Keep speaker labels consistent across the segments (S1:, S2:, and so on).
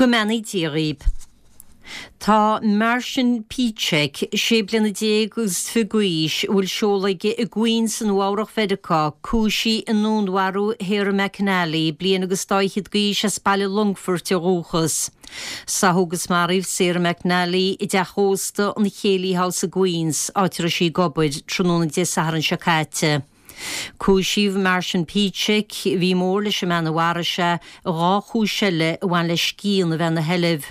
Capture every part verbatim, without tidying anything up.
S1: Go mbeannaí Dia dhaoib. Tá Marcin Pieczek, sé bliana déag agus fiche d'aois, a bhfuil seoladh aige i gQueens i Nua-Eabhrac Mheiriceá, cúisithe i ndúnmharú Sarah McAnally, bliain agus dá fhichead d'aois as baile Longfoirt ó dhúchas. Sáthadh agus maraíodh Sarah McAnally i dteach ósta an Céilí House i gQueens, áit a raibh sí ag obair, tráthnóna Dé Sathairn seo caite. Cúisíodh Marcin Pieczek, a bhí mór leis an mbean a mharaigh sé, i dhá chúis eile a bhain le scian a bheith ina sheilbh.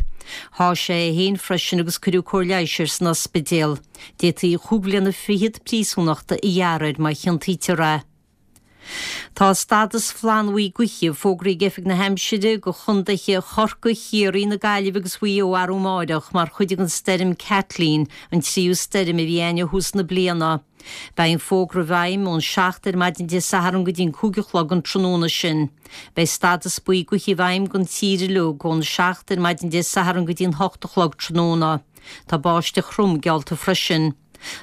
S1: Sháigh sé é féin freisin agus cuireadh cóir leighis air san ospidéal. D'fhéadfaí chúig bhliana fichead príosúnachta a ghearradh air má chiontaítear é. Tá stádas flannbhuí gaoithe fógraithe ag Oifig na hAimsire do chontaetha Chorcaí, Chiarraí, na Gaillimhe agus Mhaigh Eo arú amáireach mar chuid den stoirm Kathleen, an tríú stoirm a bhí againn ó thús na bliana. Beidh an fógra i bhfeidhm ón seacht ar maidin Dé Sathairn go dtí an cúig a chlog an tráthnóna sin. Beidh stádas buí gaoithe i bhfeidhm don tír uilig ón seacht ar maidin Dé Sathairn go dtí an hocht a chlog tráthnóna. Tá báisteach throm geallta freisin.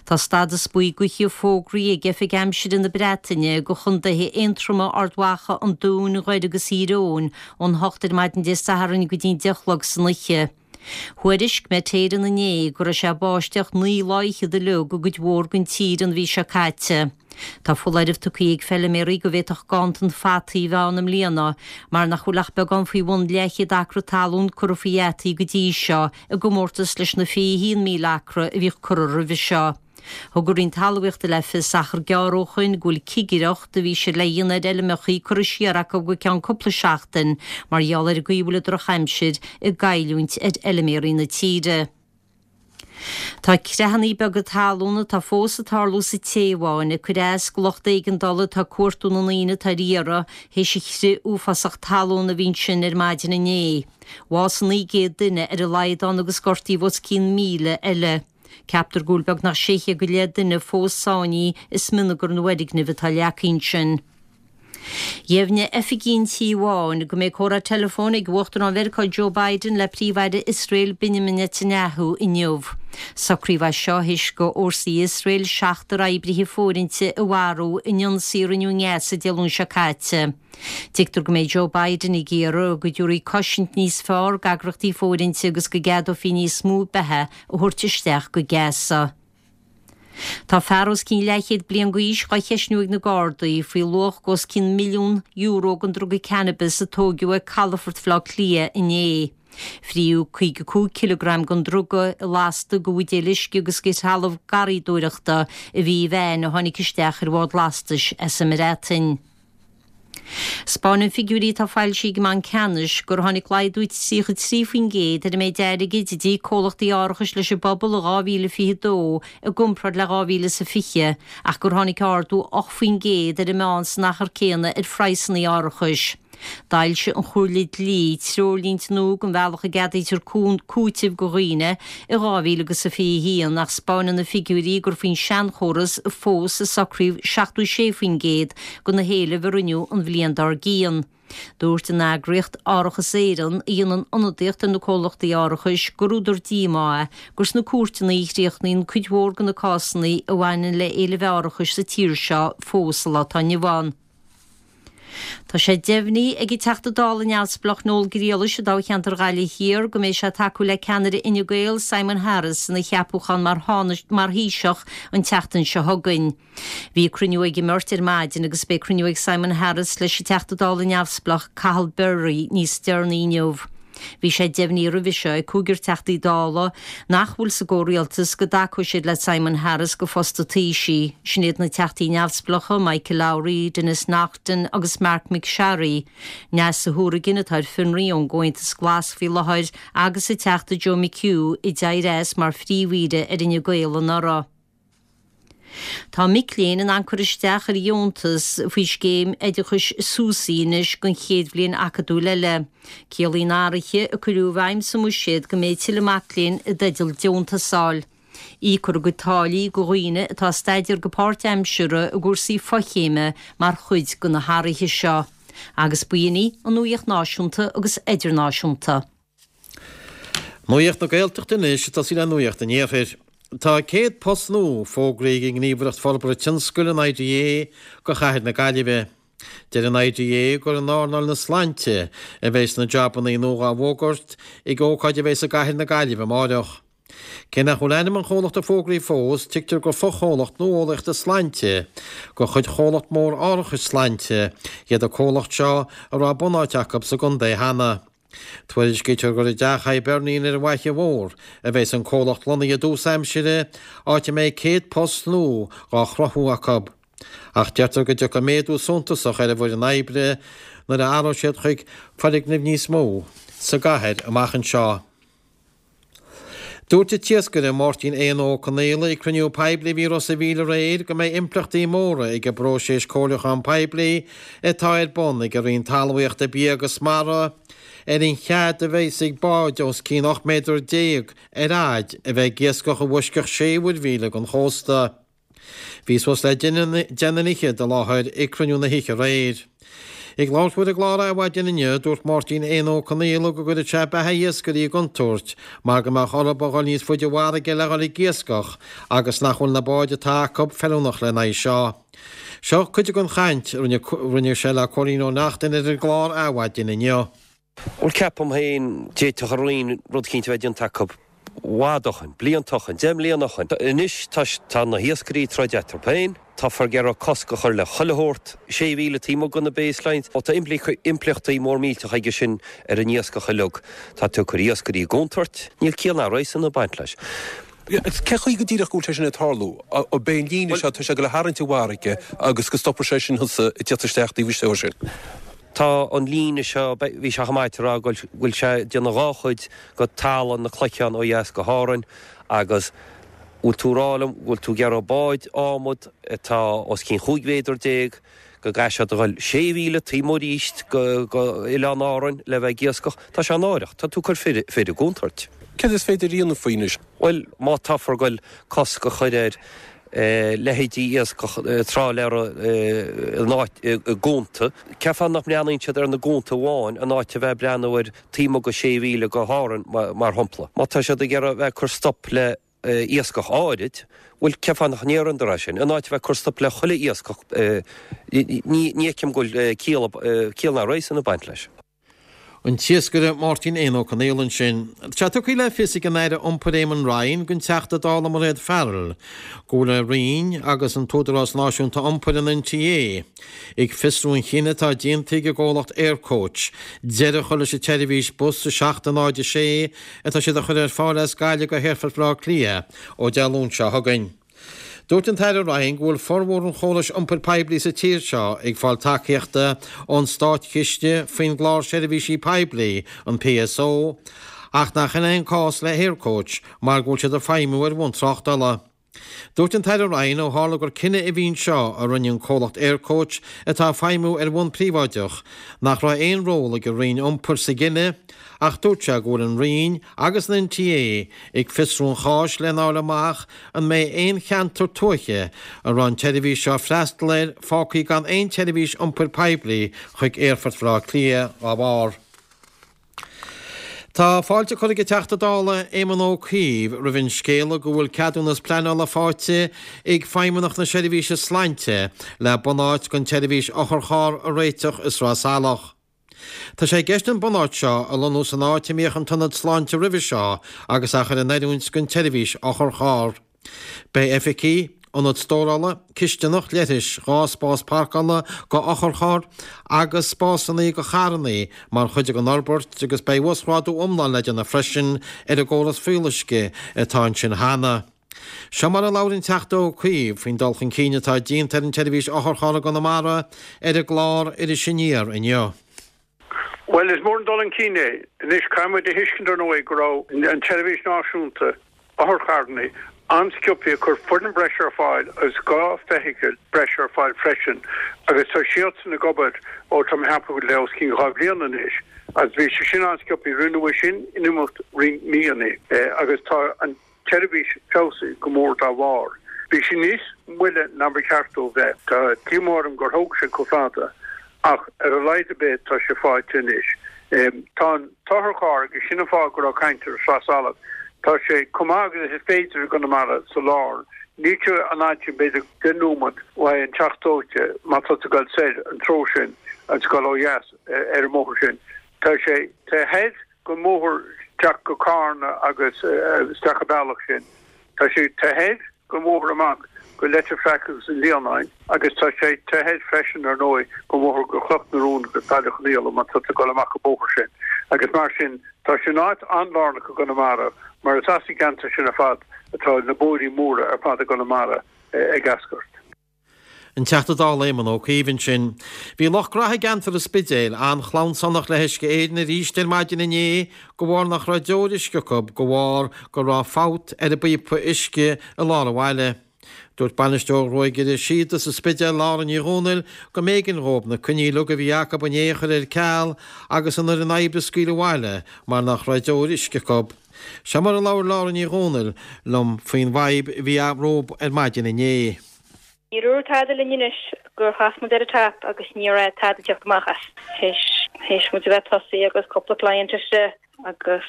S1: Tá stádas buí gaoithe fógraithe ag Oifig Aimsire na Breataine do chontaetha Aontroma, Ard Mhacha, an Dúin, Dhoire agus Thír Eoghain ón hocht ar maidin Dé Sathairn go dtí an deich a chlog san oíche. Thuairisc Met Éireann inné go raibh sé ag báisteach naoi lá fhichead uilig i gcuid mhór den tír an mhí seo caite. Tá foláireamh tugtha ag feiliméaraí go bhféadfadh ganntan fataí a bheith ann i mbliana mar nach bhfuil ach beagán faoi bhun leathchéad acra talún curtha faoi fhataí go dtí seo i gcomórtas leis na fiche a haon míle acra a bhíodh curtha roimhe seo. Thug an Roinn Talmhaíochta le fios achar gearr ó shoin go bhfuil cigireacht a bhí siad le dhéanamh ar fheilmeacha curtha siar acu go ceann cúpla seachtain mar gheall ar an gcaoi a bhfuil an drochaimsir ag goilliúint ar fheilméaraí na tíre. Tá creathanna beaga talún atá fós ag tarlú sa Téaváin ag cur as do lucht éigeandála atá ag cuartú na ndaoine atá ar iarraidh théis an chrith uafásach talún a bhí ansin ar maidin inné. Bhásaigh naoi gcéad duine ar a laghad ann agus gortaíodh os cionn míle eile. Ceaptar go bhfuil beagnach sé chéad go leith duine fós sáinnithe i smionagar na bhfoirgneamh atá leagtha ansin. Dheimhnigh oifigigh an Tí Bháin go mbeidh comhrá teileafóin ag Uachtarán Mheiriceá Joe Biden le Príomh-Aire Iosrael Benjamin Netanyahu inniu. Socraíodh é seo théis do fhórsaí Iosrael seachtar oibrithe fóirithinte a mharú in ionsaí a rinneadh i nGaza Dé Luain seo caite. Tuigtear go mbeidh Joe Biden ag iarraidh go dtabharfaí cosaint níos fearr d'eagraíochtaí fóirithinte agus go gceadófaí níos mó beatha a thabhairt isteach go Gaza. Tá fear os cionn leathchéad bliain d'aois dhá cheistniú ag na Gardaí faoi luach os cionn milliún euro den druga cannabis a tóigeadh ag calafort Bhaile Átha Cliath inné. Fríodh caoga cúig cileagram den druga i lasta de bhuidéil uisce agus de threalamh garraíodóireachta a bhí i veain a tháinig isteach ar bhád lastais as an mBreatain. 'Spáineann figiúirí atá foilsithe ag an mBanc Ceannais gur tháinig laghdú tríocha trí faoin gcéad ar an méid airgid a d'íoc comhlachtaí árachais leis an bpobal i dhá mhíle fiche dó i gcomparáid le dhá mhíle is a fiche ach gur tháinig ardú ocht faoin gcéad ar an meán san achar céanna ar phraghsanna árachais. D'fhoilsigh an Chomhairle Dlí treoirlínte nua don bhealach a gceadaítear cúiteamh do dhaoine i dhá mhíle agus a fiche a haon ach 'spáineann na figiúirí gur faoin seanchóras fós a socraíodh seachtó sé faoin gcéad de na héilimh a rinneadh an bhliain dár gcionn. Dúirt an eagraíocht Árachas Éireann, a dhéanann ionadaíocht ar na comhlachtaí árachais, gur údar díomá é gur sna cúirteanna a chríochnaíonn cuid mhór de na cásanna a bhaineann le héilimh árachais sa tír seo fós sa lá atá inniu ann. Tá sé deimhnithe ag an Teachta Dála neamhspleách Noel Griallais i dtoghcheantar Ghaillimh Thiar go mbeidh sé ag tacú le ceannaire Fhine Gael Simon Harris ina cheapúchán mar mar Thaoiseach an tseachtain seo chugainn. Bhí cruinniú ag an mbeirt ar maidin agus beidh cruinniú ag Simon Harris leis an Teachta Dála neamhspleách Cathal Berry níos deireanaí inniu. Bhí sé deimhnithe roimhe seo ag cúigear Teachtaí Dála nach bhfuil sa gcomhrialtas go dtacóidh siad le Simon Harris go phost an Taoisigh. Sin iad na Teachtaí neamhspleácha Michael Lowry, Denis Naughten agus Marc MacSharry, Neasa Hourigan atá ar fionraí ón gComhaontas Glas faoi láthair agus an Teachta Joe McHugh a d'éirigh as mar phríomh-aoire ar Fhine Gael anuraidh. Tá mic léinn in ann cur isteach ar dheontas faoi scéim oideachais SUSI anois don chéad bhliain acadúil eile. Ciallaíonn athruithe a cuireadh i bhfeidhm sa mbuiséad go mbeidh tuilleadh mac léinn i dteideal deontas a fháil. Íocfar a gcuid táillí do dhaoine atá ag staidéar go páirtaimseartha i gcúrsaí fochéime mar chuid de na hathruithe seo. Agus b'in í an nuaíocht náisiúnta agus idirnáisiúnta.
S2: Nuacht na Gaeltachta anois ag tosaí le Nuacht an Iarthair. Tá céad post nua fógraithe ag an nGníomhaireacht Forbartha Tionscail, an IDA, do chathair na Gaillimhe. Deir an I D A gur in earnáil na sláinte a bheas na jabanna nua á bhfógairt ag ócáid a bheas i gcathair na Gaillimhe amárach. Cé nach bhfuil ainm an chomhlachta fógraithe fós, tuigtear gur fochomhlacht nuálaíochta sláinte de chuid chomhlacht mór árachais sláinte iad an comhlacht seo a raibh bunáit acu sa gcontae cheana. Tuairiscítear gur i dTeach Hibernian ar an bhFaiche Mhór a bheas an comhlacht lonnaithe i dtús aimsire, áit a mbeidh céad post nua á chruthú acu. Ach deirtear go dtiocfaidh méadú suntasach ar an bhfoireann oibre nuair a athróidh siad chuig foirgnimh níos mó sa gcathair amach anseo. Dúirt an t-iascaire Máirtín Éanna Ó Conaola ag cruinniú poiblí a bhí i Ros a' Mhíl aréir go mbeidh impleachtaí móra ag an bpróiseas comhairliúcháin poiblí atá ar bun ag an Roinn Talmhaíochta, Bia agus Mara ar an chead a bheas ag báid os cionn ocht méadar déag ar fhaid a bheith ag iascach i bhfoisceacht sé mhuirmhíle den chósta. Bhí suas le deich nduine fhichead i láthair ag cruinniú na hoíche aréir. Ag labhairt ar an gclár Adhmhaidin inniu, dúirt Máirtín Éanna Ó Conaola go gcuirfeadh sé beatha iascairí i gcontúirt mar go mbeadh orthu a dhul níos faide i bhfarraige le dhul ag iascach agus nach bhfuil na báid atá acu feiliúnach lena aghaidh seo. Seo cuid den chaint a rinne sé le Cóilín Ó Neachtain ar an gclár Adhmhaidin inniu.
S3: Bhuel, ceapaim féin d'fhéadfadh an Roinn rud eicínt a bheith déanta acu i bhfad ó shin, blianta ó shin, deich mbliana ó shin. Anois tá na hiascairí ag troid eatarthu féin, táthar ag iarraidh cosc a chur le chuile shórt, sé mhíle taobh amuigh de na baselines. Tá impleachtaí mór millteach aige sin ar an iascach uilig. Tá tú ag cur iascairí i gcontúirt. Níl ciall ná réasún ag baint leis.
S4: Cé chaoi go díreach go bhfuil sé sin ag tarlú? Ab é an líne seo, tá sé ag dul a tharraingt i bhfarraige agus go stopfaidh sé sin thusa ag tíocht isteach taobh istigh sin.
S3: Tá an líne seo, bhí sé chomh maith a rá go bhfuil sé ag déanamh dhá chuid de talamh na Cloicheán ó dheas go hÁrainn agus bhfuil tú ag rá liom go bhfuil tú ag iarraidh báid adhmad atá os cionn chúig mhéadar déag go gcaithfidh siad a dhul sé mhíle taobh amuigh arís go Oileán Árainn le bheith ag iascach? Tá sé náireach. Tá tú ag cur fir i gcontúirt.
S4: Céard is féidir a dhéanamh faoi anois?
S3: Bhuel, má táthar ag dul cosc a chur ar leithéidí iascach trálaeir i gcuanta, cén fáth nach mbreathnaíonn siad ar na cuanta amháin in áit a bheith ag breathnú ar taobh amuigh de sé mhíle go hÁrainn, mar shampla? Má tá siad ag iarraidh a bheith ag cur stop le iascach áirid, bhuel, cén fáth nach ndéarfaidh é sin, in áit a bheith ag cur stop le chuile iascach? Ní fheicim go bhfuil ciall ná réasún ag baint leis.
S2: An t-iascaire Máirtín Éanna Ó Conaola ansin. Tá tugtha le fios ag an Aire Iompair Eamon Ryan don Teachta Dála Mairéad Farrell go bhfuil a Roinn agus an tÚdarás Náisiúnta Iompair, an N T A, ag fiosrú an chinnidh atá déanta ag an gcomhlacht Aircoach deireadh a chur leis an tseirbhís bus a seacht náid a sé atá siad a chur ar fáil as Gaillimh go hAerfort Bhaile Átha Cliath ó Dé Luain seo chugainn. Dúirt an tAire Ryan go bhfuil formhór an chórais iompair poiblí sa tír seo ag fáil tacaíochta ón státchiste faoin gclár seirbhísí poiblí, an P S O, ach nach in é an cás le hAircoach mar go bhfuil siad ag feidhmiú ar bhonn tráchtála. Dúirt an tAire Ryan ó tharla gur cinneadh a bhí anseo a rinne an comhlacht Aircoach atá ag feidhmiú ar bhonn príobháideach nach raibh aon ról ag an Roinn Iompair sa gcinneadh, ach dúirt sé go bhfuil an Roinn agus an N T A ag fiosrú an cháis lena fháil amach an mbeidh aon cheantar tuaithe a raibh an tseirbhís seo freastal air fágtha gan aon tseirbhís iompair poiblí chuig Aerfort Bhaile Átha Cliath dá bharr. Tá fáilte curtha ag an Teachta Dála Éamon Ó Cuív roimh an scéala go bhfuil ceadúnas pleanála faighte ag Feidhmeannacht na Seirbhíse Sláinte le bunáit don tseirbhís otharcharr a réiteach i Sraith Salach. Tá sé i gceist an bunáit seo a lonnú san áit a mbíodh an t-ionad sláinte roimhe seo agus a chur in oiriúint don tseirbhís otharcharr. Beidh oifigí, ionad stórála, cisteanach, leithris, dhá spás páirceála do otharchairr agus spásanna do charranna mar chuid den fhorbairt agus beidh uasghrádú iomlán le déanamh freisin ar an gcóras fuíolluisce atá ansin cheana. Seo mar a labhair an Teachta Ó Cuív faoin dul chun cinn atá déanta ar an tseirbhís otharcharr i gConamara ar an gclár Iris Aniar inniu.
S5: Well, is mór an dul chun cinn é. Anois caithfimid a thuiscint ar ndóigh go raibh an tseirbhís náisiúnta otharcharranna an-sciobtha ag cur foireann breise ar fáil agus dhá feithicil breise ar fáil freisin agus tá siadsan ag obair ó tá mé ag ceapadh le os cionn dhá bhliain anois agus bhí sé sin an-sciobtha, rinneadh é sin in imeacht roinnt míonna agus tá an tseirbhís feabhsaithe go mór dá bharr. Bhí sé níos moille ná ba cheart dó bheith. Tá díomá orm gur thóg sé chomh fada ach ar a laghad ar bith tá sé faighte anois. Tá an t-otharcharr agus sin an fáth go raibh caint ar Sraith Salach. Tá sé chomh maith agus is féidir i gConamara sa lár. Níl sé an áit sin b'fhéidir deich nóiméad uaidh an Teach Dóite má tá tú ag dul soir an treo sin agus ag dul ó dheas ar an mbóthar sin. Tá sé taobh thoir den mbóthar isteach go Carna agus isteach an bealach sin. Tá sé taobh thoir den mbóthar amach go Leitir Fraic agus an Líonáin agus tá sé taobh thoir freisin ar ndóigh den mbóthar go Cloch na Rón agus Baile Chonnaola má tá tú ag dul amach an bóthar sin. Agus mar sin tá sé in áit an-lárnach i gConamara mar is as an gceantar sin ar fad atá na bóithrí móra ar fad i gConamara ag eascairt.
S2: An Teachta Dála Éamon Ó Cuív ansin. Bhí lucht graithe i gceantar an Spidéil an-chlannsanach le hUisce Éireann arís ar maidin inné de bharr nach raibh deoir uisce acu de bharr go raibh fabht ar an bpíopa uisce i lár an bhaile. Dúirt bainisteoir Ghruagaire Síoda sa Spidéal Lára Ní Dhomhnaill go mb'éigean dhóibh na coinní uilig a bhí acu inné a chur ar ceal agus an fhoireann oibre a scaoileadh abhaile mar nach raibh deoir uisce acu. Seo mar a labhair Lára Ní Dhomhnaill liom faoin bhfadhb a bhí rompu ar maidin inné.
S6: Níor dhúirt tada linn anois gur chas muid ar an tap agus ní raibh tada ag teacht amach as. Théis théis muid a bheith tosaithe agus cúpla client istigh agus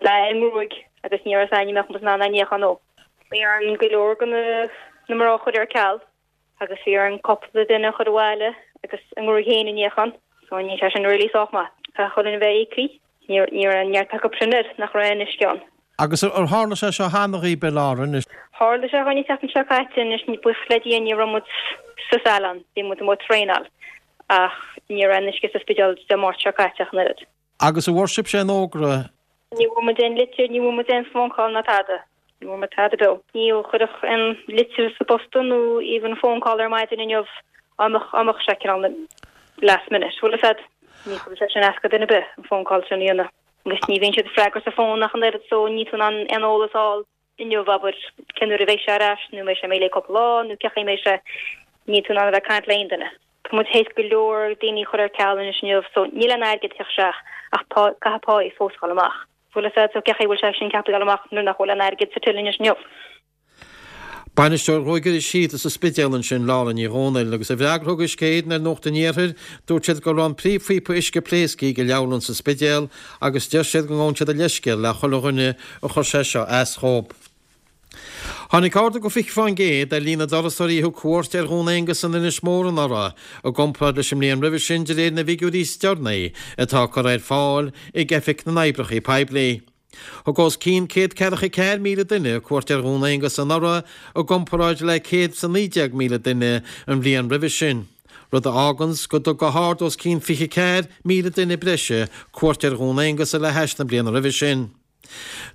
S6: leath i ngruaig agus ní raibh a fhios againn an mbeadh muid in ann é a níochán ó. Bhí orainn go leor de na mná a chur ar ceal agus bhí orainn cúpla duine a chur abhaile agus a ngruaig féin a níochán so níl sé sin really sách maith. Caithfidh chuile dhuine bheith íoctha. Ní ní raibh neart acu sin air nach raibh aon uisce ann.
S2: Agus ar tharla sé seo cheana dhaoibh, a Lára, anois?
S6: Tharla sé dhúinn an tseachtain seo caite anois, buíochas le Dia ní raibh muid sa salon, bhí muid amuigh ag traenáil ach ní raibh aon uisce sa Spidéal Dé Máirt seo caite ach an oiread.
S2: Agus an bhfuair sibhse aon fhógra?
S6: Ní bhfuair muid aon litir, ní bhfuair muid aon phone call ná tada. Ní bhfuair muid tada beo. Ní chuirfeadh aon litir sa bpost nó even phone call ar maidin inniu dá mbeadh dá mbeadh sé cineál last minute. Bhfuil a fhios a'd? Ní chuirfeadh sé sin as go duine ar bith an phone call sin a dhéanamh. Agus ní bhíonn siad ag freagairt an phone ach an oiread so níl tú in ann aon eolas a fháil inniu abair cén uair a bheidh sé ar ais nó mbeidh sé imithe le cúpla lá nó cén chaoi a mbeidh sé. Níl tú in ann a bheith ag caint le aon duine. Tá muid théis go leor daoine a chur ar ceal anois inniu so níl aon airgead ag teacht isteach ach pá caithfidh páí fós a dhul amach. Bhfuil a fhios a'd so cén chaoi a bhfuil sé sin ceaptha a dhul amach nuair nach bhfuil aon airgead sa till anois inniu.
S2: Bainisteoir Ghruagaire Síoda sa Spidéal ansin, Lára Ní Dhomhnaill, agus i bhfreagra a thug Uisce Éireann ar Nuacht an Iarthair, dúirt siad go raibh an príomhphíopa uisce pléasctha ag an leabharlann sa Spidéal agus deir siad go ngabhann siad a leithscéal le chuile dhuine a chuir sé seo as dhóibh. Tháinig ardú go fiche fán gcéad ar líon na dturasóirí a thug cuairt ar Dhún Aonghasa in Inis Mór anuraidh i gcomparáid leis an mbliain roimhe sin de réir na bhfigiúirí is deireanaí atá curtha ar fáil ag Oifig na nOibreacha Poiblí. Thug os cionn céad ceathracha ceathair míle duine cuairt ar Dhún Aonghasa anuraidh i gcomparáid le céad is a naoi déag míle duine an bhliain roimhe sin, rud a fháganns go dtug go hard os cionn fiche ceathair míle duine breise cuairt ar Dhún Aonghasa le hais na bliana roimhe sin.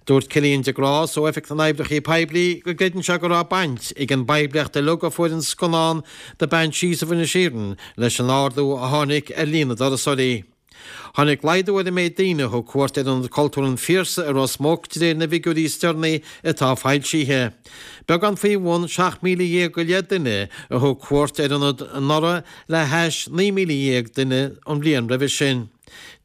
S2: Dúirt Cillian de Grás ó Oifig na nOibreacha Poiblí go gcreideann sé go raibh baint ag an bpoiblíocht uilig a fuair an scannán The Banshees of Inisherin leis an ardú a tháinig ar líon na dturasóirí. Tháinig laghdú ar an méid daoine a thug cuairt ar Ionad Cultúir an Phiarsaigh i Ros Muc de réir na bhfigiúirí is deireanaí atá foilsithe. Beagán faoi bhun seacht míle dhéag go leith duine a thug cuairt ar an ionad anuraidh le hais naoi míle dhéag duine an bhliain roimhe sin.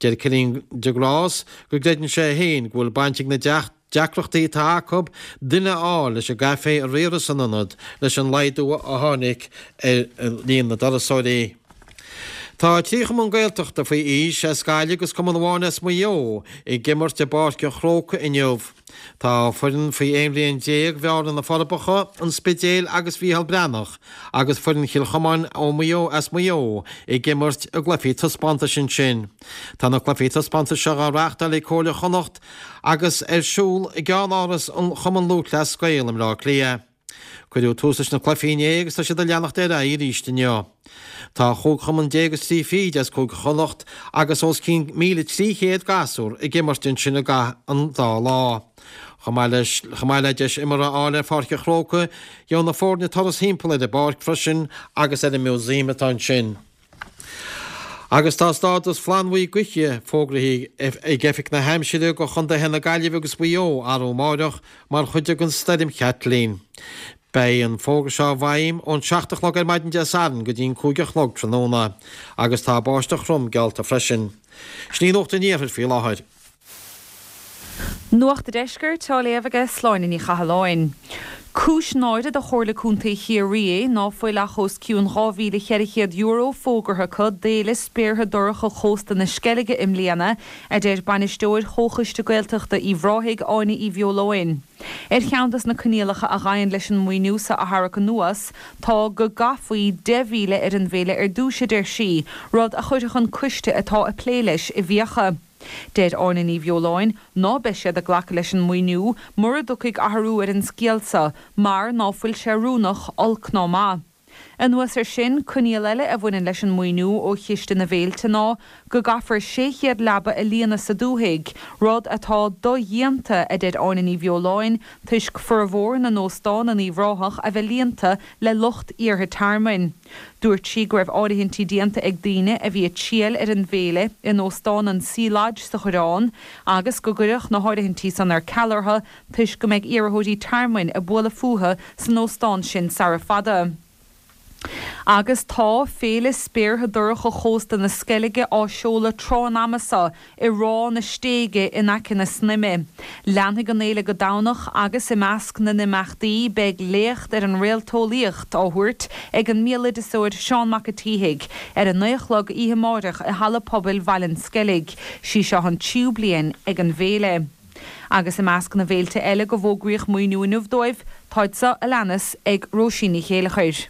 S2: Deir Cillian de Grás go gcreideann sé féin go bhfuil baint ag na deacrachtaí atá acu duine a fháil leis an gcaifé a riaradh san ionad leis an laghdú a tháinig ar líon na dturasóirí. Tá trí chumann Gaeltachta faoi aois as Gaillimh agus cumann amháin as Maigh Eo ag imirt i bPáirc an Chrócaigh inniu. Tá foireann faoi aon bhliain déag Bhearna na Forbacha, an Spidéil agus Mhícheál Breathnach agus foireann Chill Chomáin ó Mhaigh Eo as Maigh Eo ag imirt i gcluichí taispeántais ansin. Tá na cluichí taispeántais seo á reáchtáil ag Comhairle Chonnacht agus ar siúl i gceannáras an Chumann Lúthchleas Gael i mBleá Cliath. Cuireadh tús leis na cluichí inné agus tá siad ag leanacht ar aghaidh arís inniu. Tá chúig chumann déag is trí fichid as Cúige Chonnacht agus os cionn míle trí chéad gasúr ag imirt ansin i gcaitheamh an dá lá. Chomh maith leis, chomh maith le deis imeartha a fháil ar Pháirc an Chrócaigh, gheobhaidh na foirne turas thimpeall ar an bpáirc freisin agus ar an músaem atá ansin. Agus tá stádas flannbhuí gaoithe fógraithe ag Oifig na hAimsire do chontaetha na Gaillimhe agus Mhaigh Eo arú amáireach mar chuid den Stoirm Kathleen. Beidh an fógra seo i bhfeidhm ón seacht a chlog ar maidin Dé Sathairn go dtí an cúig a chlog tráthnóna agus tá báisteach throm geallta freisin. Sin í Nuacht an Iarthair faoi láthair.
S7: Nuacht an Deiscirt á léamh aige Sláine Ní Chathalláin. Cúis náire do Chomhairle Contae Chiarraí é ná fuil ach os cionn dhá mhíle cheithre chéad euro fógartha acu d'Fhéile Spéartha Dorcha Chósta na Sceilge i mbliana, a deir Bainisteoir Chomhchoiste Gaeltachta Uíbh Ráthaigh, Áine Uí Bheoláin. Ar cheann dos na coinníollacha a ghabhann leis an maoiniú so a tharrac anuas tá go gcaithfí deich mhíle ar an bhféile ar dtús, a deir sí, rud a chuirfeadh an coiste atá ag plé leis i bhfiacha. Deir Áine Ní Bheoláin ná beidh siad ag glacadh leis an maoiniú mura dtiocfaidh athrú ar an scéal so mar ná fuil sé oiriúnach, olc ná maith. Anuas air sin, coinníoll eile a bhaineann leis an maoiniú ó Chiste na bhFéilte ná go gcaithfear sé chéad leaba a líonadh sa dúthaigh, rud atá dodhéanta, a deir Áine Ní Bheoláin, toisc formhór na n-óstán in Uíbh Ráthach a bheith líonta le lucht iarrtha tearmainn. Dúirt sí go raibh áirithintí déanta ag daoine a bhí ag triall ar an bhféile in Óstán an Sea Lodge sa Choireán agus go gcuirfeadh na háirithintí san ar ceal orthu toisc go mbeidh iarrthóirí tearmainn ag bualadh fúthu san óstán sin sara fada. Agus tá Féile Spéartha Dorcha Chósta na Sceilge á seoladh tráth an ama seo i Ráth na Stéige in aice na Snaidhme. Leanfaidh an fhéile go Domhnach agus i measc na n-imeachtaí beidh léacht ar an réalteolaíocht á thabhairt ag an mbéaloideasóir Seán Mac a' tSíthigh ar a naoi a chlog oíche amáireach i Halla Pobail Bhaile an Sceilg. Sí seo an tríú bliain ag an bhféile. Agus i measc na bhféilte eile go bhfógraíodh maoiniú inniu dóibh, táid seo a leanas ag Róisín Ní Chéilleachair.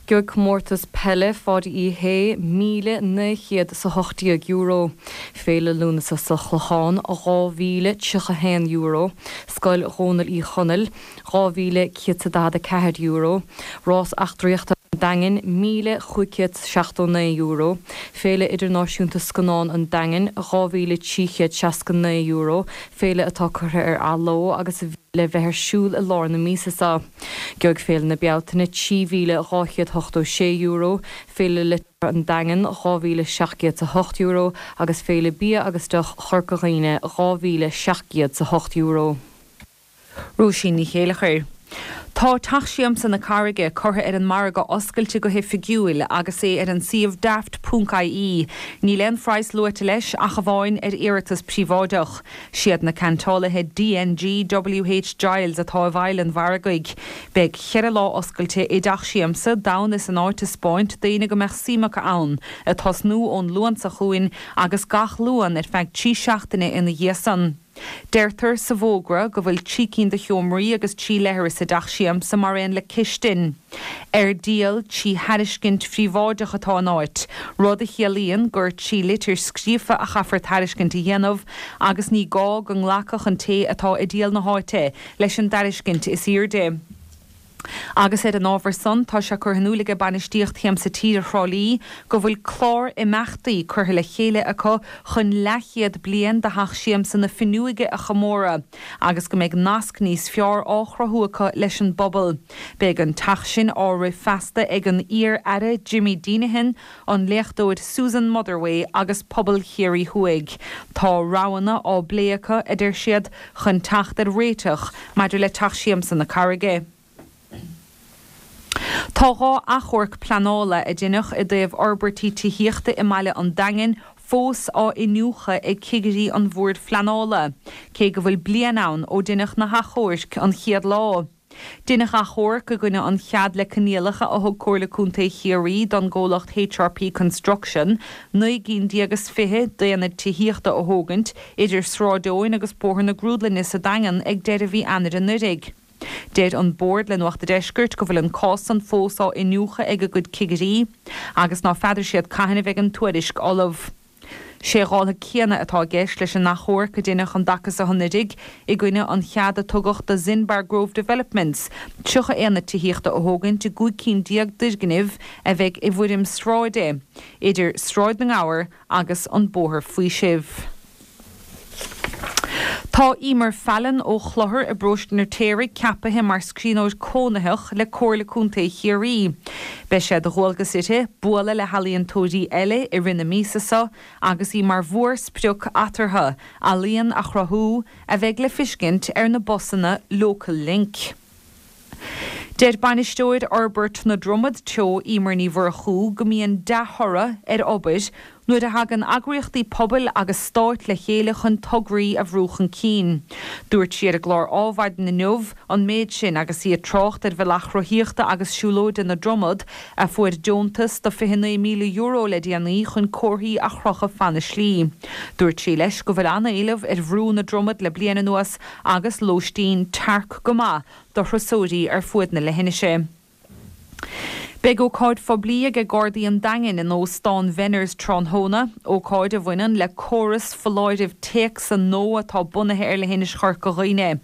S8: Gheobhaidh comórtas peile Pháidí Uí Shé míle naoi chéad is a hocht déag euro, Féile Lúnasa sa Chlochán dhá mhíle tríocha haon euro, Scoil Dhónaill Uí Chonaill dhá mhíle céad 's a daichead a ceathair euro, Rás Eachtraíochta an Daingin míle chúig chéad seachtó naoi euro, Féile Idirnáisiúnta Scannán an Daingin dhá mhíle trí chéad seasca naoi euro, féile atá curtha ar athló agus a bhí le bheith ar siúl i lár na míosa seo. Gheobhaidh Féile na Bealtaine trí mhíle dhá chéad ochtó sé euro, Féile Liteartha an Daingin dhá mhíle seacht gcéad 's a hocht euro agus Féile Bia agus Deoch Chorca Dhuibhne dhá mhíle seacht gcéad 's a hocht euro.
S7: Róisín Ní Chéilleachair. Tá Teach Siamsa na Carraige curtha ar an margadh oscailte go hoifigiúil agus é ar an suíomh daft ponc ie. Níl aon phraghas luaite leis ach amháin ar iarratas príobháideach. Siad na ceantálaithe D N G W H Giles atá i bhfeighil an mhargaidh. Beidh cheithre lá oscailte i dTeach Siamsa d'fhonn is an áit a 'spáint d'éinne go mbeadh suim acu ann, ag tosnú ón Luan seo chugainn agus gach Luan ar feadh trí seachtaine ina dhiaidh san. Deirtear sa bhfógra go bhfuil trí cinn de sheomraí agus trí leithreas i dTeach Siamsa mar aon le cistin. Ar díol trí thairiscint phríobháideach atá an áit, rud a chiallaíonn gur trí litir scríofa a chaithfear tairiscint a dhéanamh agus ní gá go nglacfadh an té atá ag díol na háite leis an dtairiscint is airde. Agus ar an ábhar san, tá sé curtha in iúl aige bainistíocht Shiamsa Tíre Thrá Lí go bhfuil clár imeachtaí curtha le chéile acu chun leathchéad bliain de Theach Siamsa na Finneoige a chomóradh agus go mbeidh nasc níos fearr á chruthú acu leis an bpobal. Beidh an teach sin á rith feasta ag an iar-aire Jimmy Deenihan, an léachtóir Susan Motherway agus pobal Chiarraí Thuaidh. Tá roghanna á bplé acu, a deir siad, chun teacht ar réiteach maidir le Teach Siamsa na Carraige. Tá dhá achomharc pleanála a deineadh i dtaobh fhorbairtí tithíochta i mbaile an Daingin fós á n-iniúchadh ag cigirí an Bhoird Phleanála, cé go bhfuil bliain ann ó deineadh na hachomhairc an chéad lá. Deineadh achomharc i gcoinne an chead le coinníollacha a thug Comhairle Contae Chiarraí don gcomhlacht H R P Construction naoi gcinn déag is fiche d'aonaid tithíochta a thógaint idir Sráid Eoin agus Bóthar na Grúdlainne sa Daingean ag deireadh mhí Eanáir anuraidh. Deir an Bord le Nuacht a' Deiscirt go bhfuil an cás san fós á iniúchadh ag a gcuid cigirí agus ná feadar siad cathain a bheidh an tuairisc ullamh. Sé dhála céanna atá i gceist leis an achomharc a deineadh an dtaca seo anuraidh i gcoinne an chead a tugadh do Zinbar Grove Developments tríocha aonad tithíochta a thógaint i gcúig cinn déag d'fhoirgnimh a bheidh i bhfoirm sráide idir Sráid na nGabhar agus an Bóthar Faoisimh. Tá Emer Fallon ó Chlochar i bparóiste an Fheirtéaraigh ceapaithe mar scríbhneoir cónaitheach le Comhairle Contae Chiarraí. Beidh sé de dhualgas uirthi bualadh le healaíontóirí eile i rith na míosa seo agus í mar mhórsprioc eatarthu, ealaíon a chruthú a bheidh le fiscint ar na busanna Local Link. Deir bainisteoir Fhorbairt na Dromad Teo Emer Ní Mhurchú go mbíonn dea-thoradh ar obair nuair a thagann eagraíochtaí pobail agus stáit le chéile chun tograí a bhrú chun cinn. Dúirt sí ar an gclár Adhmhaidin inniu an méid sin agus í ag trácht ar Bhealach Rothaíochta agus Siúlóide na Dromad, a fuair deontas de fiche naoi míle euro le déanaí chun comharthaí a chrochadh fan na slí. Dúirt sí leis go bhfuil an-éileamh ar Bhrú na Dromad le bliain anuas agus lóistín tearc go maith do thurasóirí ar fuaid na leithinise. Beidh ócáid phoiblí ag Gardaí an Daingin in Óstán Venners tráthnóna, ócáid a bhaineann le córas foláirimh téacsa nua atá bunaithe ar leithinis Chorca Dhuibhne.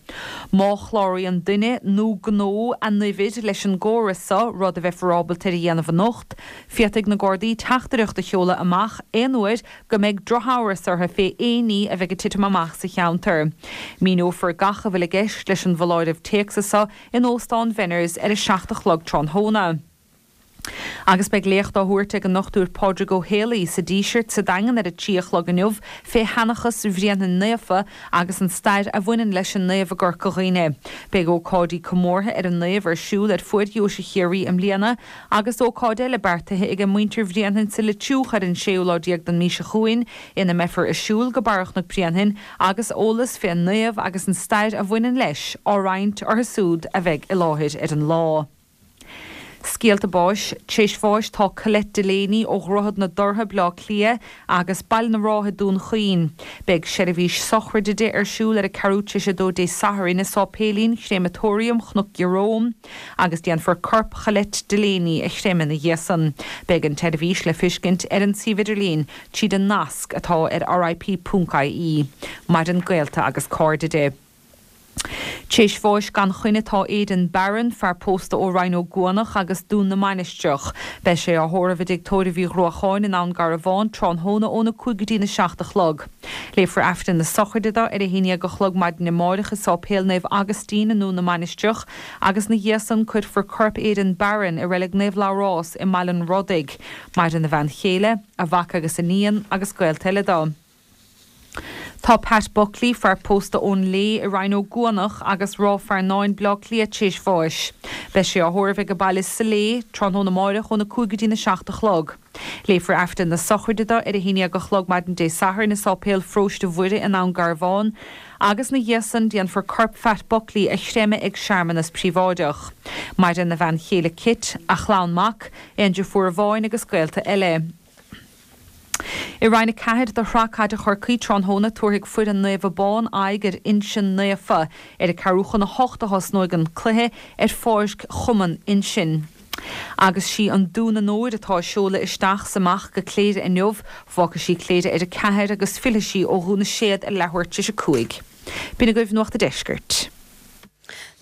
S7: Má chláraíonn duine nó gnó a n-uimhir leis an gcóras seo, rud a bheifear ábalta ar a dhéanamh anocht, féadfaidh na Gardaí teachtaireacht a sheoladh amach aon uair go mbeidh drochamhras orthu fé aon ní a bheidh ag titim amach sa cheantar. Míneofar gach a bhfuil i gceist leis an bhfoláireamh téacsa seo in Óstán Venners ar a seacht a chlog tráthnóna. Agus beidh léacht á thabhairt ag an nDochtúir Pádraig Ó Héalaí sa Díseart sa Daingean ar a trí a chlog inniu fé sheanchas Bhréanainn Naofa agus an stair a bhaineann leis an naomh i gCorca Dhuibhne. Beidh ócáidí comórtha ar an naomh ar siúl ar fuaid Dheoise Chiarraí i mbliana agus ócáid eile beartaithe ag muintir Bhréanainn sa Leitriúch ar an séú lá déag den mhí seo chugainn ina mbeifear ag siúl go Barra Chnoc Bréanainn agus eolas fén naomh agus an stair a bhaineann leis á roinnt orthu siúd a bheidh i láthair ar an lá. Scéalta báis, Tar éis bháis tá Colette Delaney ó Dhroichead na dTorthaí, Baile Átha Cliath agus Baile na Rátha, Dún Chaoin. Beidh seirbhís sochraide di ar siúl ar a ceathrú tar éis a dó Dé Sathairn i Sáipéilín Chréamatóiriam Chnoc Ieróm agus déanfar corp Cholette Delaney a chreimeadh ina dhiaidh san. Beidh an tseirbhís le feiscint ar an suíomh idirlín tríd an nasc atá ar rip.ie. Maireann gaolta agus cairde di. Tar éis bháis gan choinne tá Aidan Barron, fear pósta ó Rinn Ó gCuanach agus Dún na Mainistreach. Beidh sé á thórramh i dTigh Tórraimh Uí Ghruacháin i nDún Garbhán tráthnóna óna cúig go dtína seacht a chlog. Léifear Aifreann na sochraide dó ar a haon déag a chlog maidin amárach i Sáipéal Naomh Agaistín i nDún na Mainistreach agus ina dhiaidh san cuirfear corp Aidan Barron i Reilig Naomh Labhrás i mBaile an Rodaigh. Maireann a bhean chéile, a mhac agus iníon agus gaolta eile dó. Tá Pat Buckley, fear pósta ón Lé i Rinn Ó gCuanach agus Ráth Fearnáin, Baile Átha Cliath tar éis bháis. Beidh sé á thórramh ag baile sa Lé, tráthnóna amárach óna cúig go dtína seacht a chlog. Léifear Aifreann na sochraide dó ar a haon déag a chlog maidin Dé Sathairn i Sáipéal Pharóiste Mhuire i nDún Garbhán, agus ina dhiaidh san déanfar corp Phat Buckley a chreimeadh ag searmanas príobháideach. Maireann a bhean chéile Kit, a chlann mac, aon deirfiúr amháin agus gaolta eile. I Roinn a ceathair de Shraith Caide Chorcaí tráthnóna tabharfaidh foireann Naomh Abán aghaidh ar Uinsinn Naofa. Ar a ceathrú chun a hocht a thosnóidh an cluiche ar pháirc Chumann Uinsinn. Agus sí an Dún Anoir atá ag seoladh isteach 's amach go Cléire inniu, fágfaidh sí Cléire ar a ceathair agus fillfidh sí ó Dhún na Séad ar leathuair tar éis a cúig. B'in agaibh Nuacht an Deiscirt.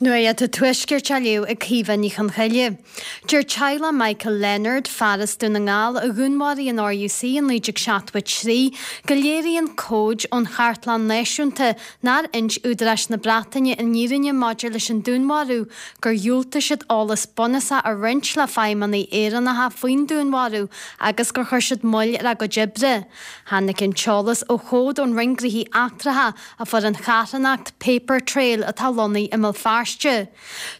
S9: Nuacht an Tuaiscirt á léamh ag Caoimhe Ní Chonchoille. Deir teaghlach Michael Leonard, fear as Dún na nGall a dhúnmharaigh an RUC in naoi déag seachtó a trí, go léiríonn comhaid ón Chartlann Náisiúnta nár inis údaráis na Breataine an fhírinne maidir leis an dúnmharú, gur dhiúltaigh siad eolas bunúsach a roinnt le feidhmeannaigh Éireannacha faoin dúnmharú agus gur chuir siad moill ar a gcuid oibre. Tháinig an t-eolas ó chomhad ón Roinn Gnóthaí Eachtracha a fuair an charthanacht Paper Trail atá lonnaithe i mBéal Feirste.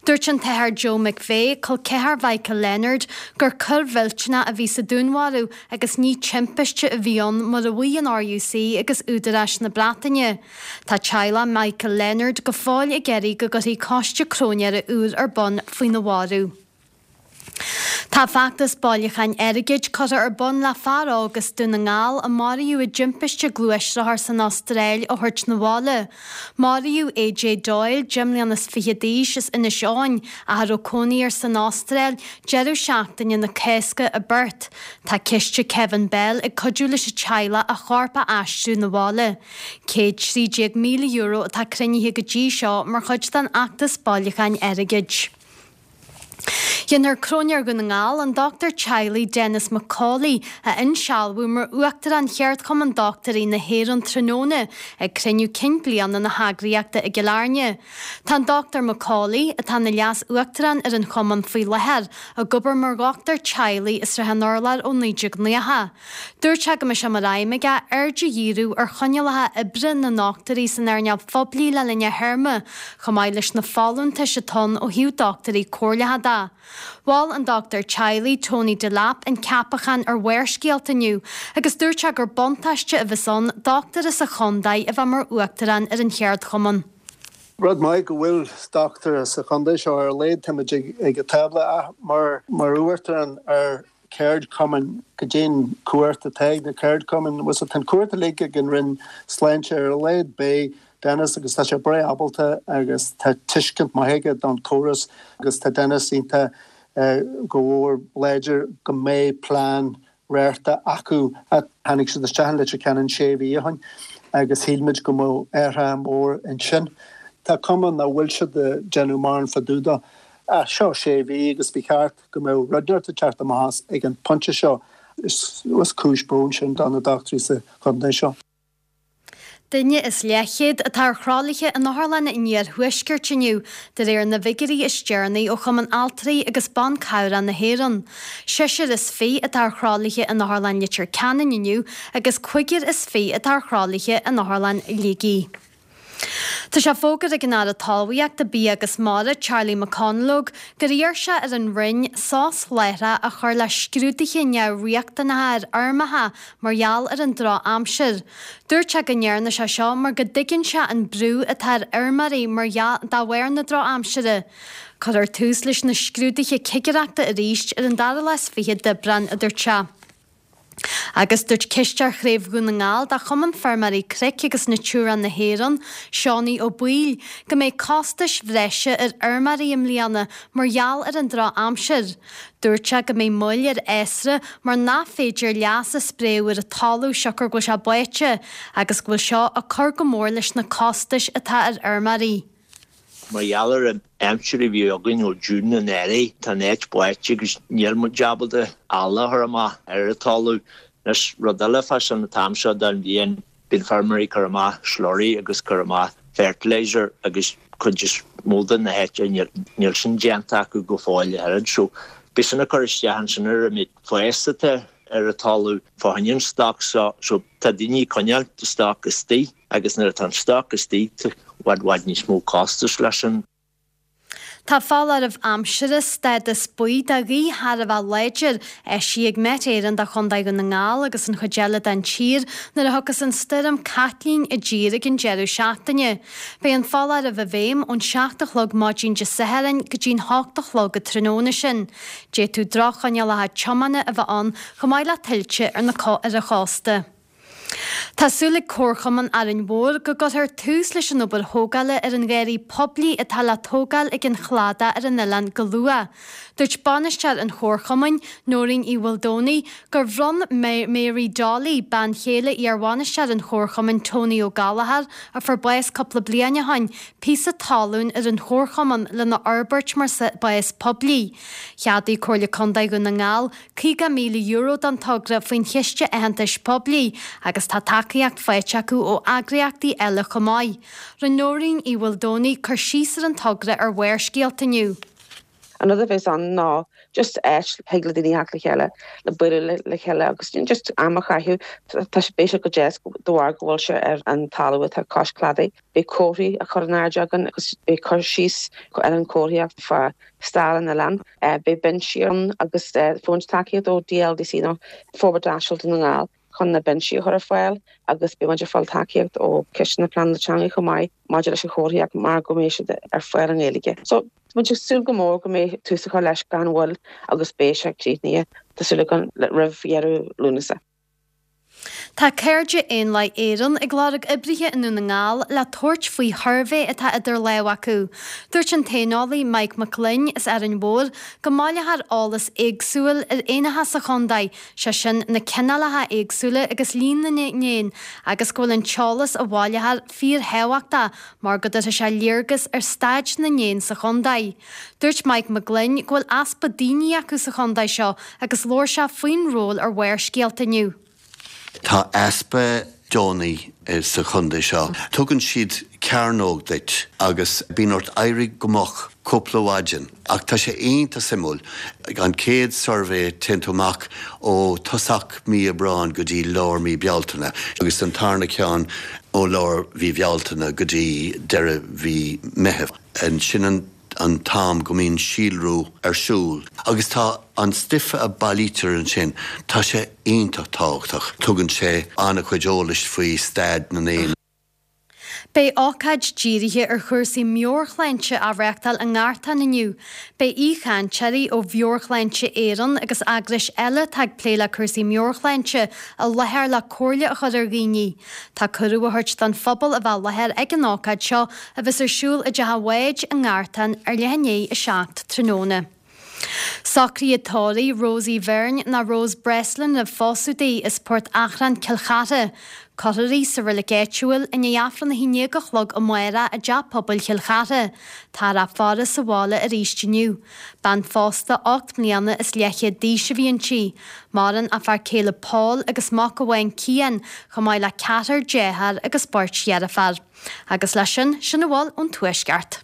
S9: Dúirt an tAthair Joe McVeigh, col ceathar Mhichael Leonard, gur coir mhillteanach a bhí sa dúnmharú agus ní timpiste a bhí ann mar a mhaígh an RUC agus údaráis na Breataine. Tá teaghlach Michael Leonard go fóill ag iarraidh go gcuirfí coiste cróinéara úr ar bun faoina mharú. Tá feachtas bailiúcháin airgid curtha ar bun le fear óg as Dún na nGall a maraíodh i dtimpiste gluaisrothar san Astráil a thabhairt 'na bhaile. Maraíodh AJ Doyle, deich mbliana is fiche d'aois, as Inis Eoghain, ach a raibh cónaí air san Astráil, deireadh seachtaine na Cásca i bPerth. Tá ciste Kevin Bell ag cuidiú leis an teaghlach a chorp a aistriú 'na bhaile. Céad trí déag míle euro atá cruinnithe go dtí seo mar chuid den fheachtas bailiúcháin airgid. Déanfar Cróinéir Dhún na nGall, an dochtúir teaghlaigh Denis McCauley, a insealbhú mar Uachtarán Cheardchumann Dochtúirí na hÉireann tráthnóna ag cruinniú cinn bliana na heagraíochta i gCill Airne. Tá an Dochtúir McCauley, atá ina Leas-Uachtarán ar an chumann faoi láthair, ag obair mar dhochtúir teaghlaigh i Srath an Urláir ó naoi déag nócha. Dúirt sé go mbeidh sé mar aidhm aige aird a dhíriú ar choinníollacha oibre na ndochtúirí san earnáil phoiblí le linn a théarma, chomh maith leis na folúntais atá ann ó thaobh dochtúirí comhairleacha de. Mhol an dochtúir teaghlaigh Tony Delap an ceapachán ar Bharrscéalta inniu agus dúirt sé gur buntáiste a bheas ann dochtúir as an chontae a bheith mar uachtarán ar an cheardchumann.
S10: Rud maith go bhfuil dochtúir sa chontae seo ar a laghad táimid ag an tábla ach mar mar uachtarán ar cheardchumann goidé an chumhacht atá ag na ceardchumainn was tá an chumhacht uilig ag an Roinn Sláinte ar a laghad beidh Denis agus tá sé breá ábalta agus tá tuiscint maith aige don chóras agus tá Denis iontach go mhór láidir go mbeidh plean réarta acu a tháinig siad isteach in Leitir Ceanainn sé mhí ó shin agus shíl muid go mbeadh athrú mór ansin. Tá cuma nach bhfuil siad ag déanamh mórán fá dtaobh dó. Ach seo sé mhí agus ba cheart go mbeadh rud inteacht ag teacht amach as ag an pointe seo. Is cúis bróin sin do na dochtúirí sa chontae seo.
S9: Duine is leathchéad atá ar thralaithe in Otharlann an Iarthuaiscirt inniu, de réir na bhfigiúirí is deireanaí ó Chumann Altraí agus Ban Cabhrach na hÉireann. Seisear is fiche atá ar thralaithe in Otharlann Leitir Ceanainn inniu agus cúigear is fiche atá ar thralaithe in Otharlann Shligigh. Tá sé fógartha ag an Aire Talmhaíochta, Bia agus Mara, Charlie McConalogue, gur iarr sé ar an Roinn sos láithreach a chur le scrúduithe neamhriachtanacha ar fheirmeacha mar gheall ar an drochaimsir. Dúirt sé go ndearna sé seo mar go dtuigeann sé an brú atá ar fheirmeoirí mar de bharr na drochaimsire. Cuirfear tús leis na scrúduithe cigireachta arís ar an dara lá is fiche d'Aibreán, a dúirt sé. Agus dúirt Cisteoir Chraobh Dhún na nGall de Chumann Feirmeoirí Cnoic agus Natura na hÉireann, Seánie Ó Baoill, go mbeidh costais bhreise ar fheirmeoirí i mbliana mar gheall ar an drochaimsir. Dúirt sé go mbeidh moill ar fhásra mar nach féidir leas a spréadh ar an talamh siocair go bhfuil sé báite agus go bhfuil seo ag cur go mór leis na costais atá ar fheirmeoirí.
S11: Mar gheall ar an aimsir a bhí againn ó June anuraidh, tá an áit báite agus níl muid ábalta eala a chur amach ar an talamh. Anois, rud eile fá sin an t-am seo den bhliain, bíonn feirmeoirí ag cur amach slurry agus cur amach fertilizer agus cuid is mó de na háite níl sin déanta acu go fóill a oiread. So, beidh sin ag cur isteach ansin ar an méid fáis atá ar an talamh fá choinne an stoc so, so tá daoine ag coinneáil stoc istigh agus nuair atá an stoc istigh tá i bhfad bhfad níos mó costais leis sin.
S9: Tá foláireamh aimsire, stádas buí do ghaoth thar a bheith láidir, eisithe ag Met Éireann do Chontae Dhún na nGall agus an chuid eile den tír nuair a thiocfas an stoirm Caitlín i dtír ag an deireadh seachtaine. Beidh an foláireamh i bhfeidhm ón seacht a chlog maidin Dé Sathairn go dtí'n hocht a chlog an tráthnóna sin. D'fhéadfadh droch-choinníollacha tiomána a bheith ann chomh maith le tuilte ar na ar an chósta. Tá súil ag Comharchumann Árainn Mhór go gcuirfear tús leis an obair thógála ar an gharraí poiblí atá le tógáil ag an chladach ar an oileán go luath. Dúirt bainisteoir an Chomharchumainn, Nóirín Uí Mhaoldomhnaigh, gur bhronn Mary Dolly, bean chéile iar-bhainisteoir an Chomharchumainn Tony Ó Gallchóir, a fuair bás cúpla bliain ó shin, píosa talún ar an Chomharchumann lena fhorbairt mar spás poiblí. Cheadaigh Comhairle Contae Dhún na nGall caoga míle euro don togra faoin Chiste Aitheantais Poiblí agus tá tacaíocht faighte acu ó eagraíochtaí eile chomh maith. Rinne Nóirín Uí Mhaoldomhnaigh cur síos ar an togra ar Bharrscéalta inniu.
S12: An rud a bheas ann ná just áit thig le daoine theacht le chéile, le bualadh le chéile agus just am a chaitheamh. Tá sé beidh sé go deas de bharr go bhfuil sé ar an talamh atá cois cladaigh. Beidh comharthaí á chur in airde againn agus beidh cur síos ar an chomharthaíocht fá stair an oileáin. Beidh binsí ann agus fuair muid tacaíocht ó DLDC nó Forbairt Áitiúil Dhún na nGall chun na binsí a chur ar fáil agus beidh muid ag fáil tacaíocht ó Chiste na Pleanála Teanga chomh maith maidir leis an chomharthaíocht mar go mbeidh siad ar fáil i nGaeilge. So tá muid ag súil go mór go mbeidh tús á chur leis gan mhoill agus beidh sé críochnaithe tá súil againn roimh dheireadh Lúnasa.
S9: Tá Cairde Éanlaith Éireann ag lorg oibrithe i nDún na nGall le tabhairt faoi shuirbhé atá idir lámha acu. Dúirt an t-éaneolaí Mike Mac Gloinn as Árainn Mhór go mbaileofar eolas éagsúil ar éanacha sa chontae, sé sin na cineálacha éagsúla agus líon na n-éan, agus go bhfuil an t-eolas a bhaileofar fíorthábhachtach mar go dtabharfaidh sé léargas ar staid na n-éan sa chontae. Dúirt Mike Mac Gloinn go bhfuil easpa daoine acu sa chontae seo agus labhair sé faoin ról ar Bharrscéalta inniu.
S13: Tá easpa deonaí sa chontae seo. Tugann siad cearnóg duit agus bíonn ort éirí go moch cúpla maidin ach tá sé iontach suimiúil. An chéad suirbhé téann tú amach ó tosach mí Aibreáin go dtí lár mí Bealtaine agus an tarna ceann ó lár mhí Bhealtaine go dtí deireadh mhí Meitheamh. Sin an an t-am go mbíonn síolrú ar siúl agus tá an stuif a bailítear ansin, tá sé iontach tábhachtach. Tugann sé an-chuid eolais faoi staid na n-éan.
S9: Beidh ócáid dírithe ar chúrsaí meabhairshláinte á reáchtáil i nGartán inniu. Beidh aoichainteoirí ó Mheabhairshláinte Éireann agus eagrais eile atá ag plé le cúrsaí meabhairshláinte i láthair le comhairle a chur ar dhaoine. Tá cuireadh á thabhairt don phobal a bheith i láthair ag an ócáid seo a bheas ar siúl i dTeach an Bháid i nGartán ar leath i ndiaidh a seacht tráthnóna. Socruithe tórraimh Rosie Byrne nó Rose Breslin roimh phósadh di as Port Achrann, Cill Chartha. Cuirfear í sa reilig áitiúil i ndiaidh Aifreann a haon déag a chlog amárach i dTeach Pobail Chill Chartha. Táthar á faire sa bhaile arís inniu. Bean phósta ocht mbliana is leathchéad d'aois a bhí inti. Maireann a fear céile Paul agus mac amháin Cian, chomh maith le ceathrar dearthár agus beirt dheirféar. Agus leis sin, sin a bhfuil ón Tuaisceart.